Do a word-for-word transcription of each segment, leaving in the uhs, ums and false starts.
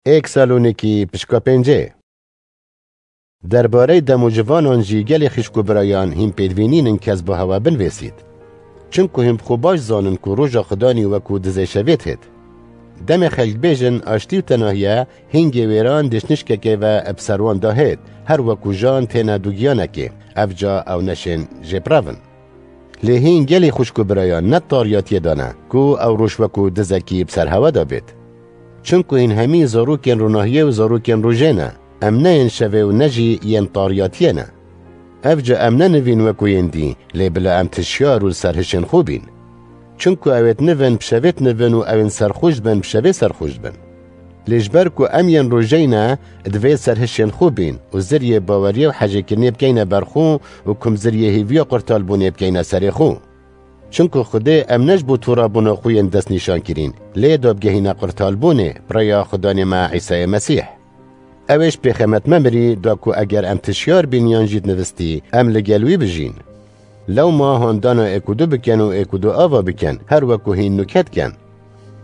Êk Salonîkî pişka pêncê. Derbarey dem û civanan jî gelê xîşk û birayan hîn pêdivî nînin kes bi hewa binvêsît. Çimku hîn bi xwe baş zanin ku roja Xudanî wekû dizê şevê dihêt. Demê xelk bêjin aştî û tenahiye, hîngê wêran dişnişkekê ve bi ser wan dahêt, her wekû jan têne dugiyanekê, evca ew neşên jê bi rev in. Lê hîn gelî xwişk û birayan ne tariyatiyê de ne ku ew roj wekû dizekî bi ser hewe de bêt. Çimku hîn hemî zarokên ronahiyê û zarokên rojê ne, em ne yên şevê û ne jî yên tariyatiyê ne. Evca em ne nivîn wekû yên dî, lê bila em tişyar û li ser hişên xwe bîn. Çimku ew ê di nivin bi şevê di nivin û ew ên serxwş dibin bi şevê serxwş dibin. Lê ji ber ku em yên rojeyî ne, divê ser hişên xwe bîn û ziriyê baweriyê û hejêkirinê bikeyne ber xwe û kumziriyê hêviya qurtalbûnê bikeyne serê xwe. Çimku Xwedê em ne ji bo torabûna xwe yên destnîşankirîn, lê dabgehîne qurtalbûnê bi rêya Xudanê me Îsayê Mesîh. Ew ê ji pêxemet me mirî da ku eger em tişyar bîn yan jî dinivistî, em li gel wî bijîn. Lewma handana êk û du bikin û êk û du ava bikin, her wekû hîn nûke dikin.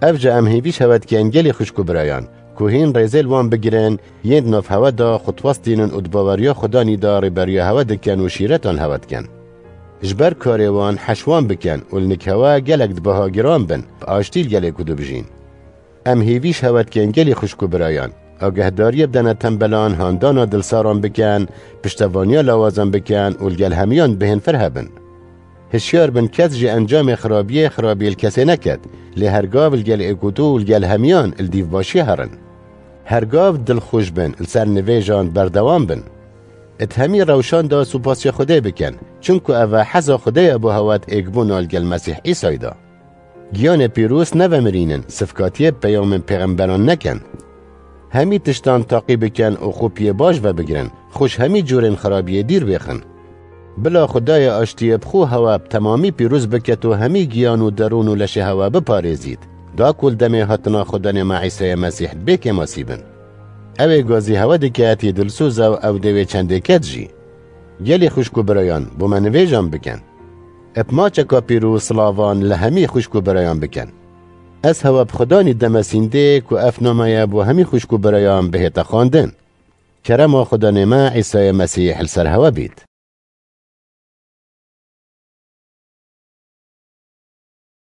Evca em hêvî ji hewe dikin gelî xwişk û birayan, ku hîn rêzê li wan bigirin, yên di nav hewe de xwe diwestînin û di baweriya Xudanî de rêberiya hewe dikin û şîretan hewe dikin. Ji ber karê wan heş wan bikin û li nik hewe gelek di biha giran bin, bi aştî li gel êk û du bijîn. Em hêvî ji hewe dikin gelî xwişk û birayan, agahdariyê bidene tembelan, handana dilsaran bikin, piştevaniya lawazan bikin û li gel hemiyan bihên fir hebin. Hişyar bin kes ji encamê xirabiyê xirabî li kesê neket, lê hergav li gel êk û du û li gel hemiyan li dîvbaşiyê herin. Hergav dilxweş bin, li ser nivêjan berdewam bin. Di hemî rewşan de supasiya Xwedê bikin, çimku ev e heza Xwedê ye bo hewe di êkbûna li gel Mesîh Îsayî de. Giyanê pîroz nevemirînin, sifkatiyê bi peyamên pêxemberan nekin. Hemî tiştan taqî bikin û xwe piyê baş vebigirin, xwe ji hemî curên xirabiyê dîr bêxin. Bila Xwedayê aştiyê bi xwe hewe bi temamî pîroz biket û hemî giyan û derûn û leşê hewe biparêzît, da ku li demê hatina Xudanê me Îsayê Mesîh bê kêmasî bin. Ew ê gazî hewe diket, yê dilsoz e û ew dê wê çendê ket jî. Gelî xwişk û birayan, bo me nivêjan bikin. Bi maçeka pîroz silavan li hemî xwişk û birayan bikin. Ez hewe bi Xudanî deme sîndê ku ev name ye bo hemî xwişk û birayan bihête xwendin. Kerema Xudanê me Îsayê Mesîh li ser hewe bît.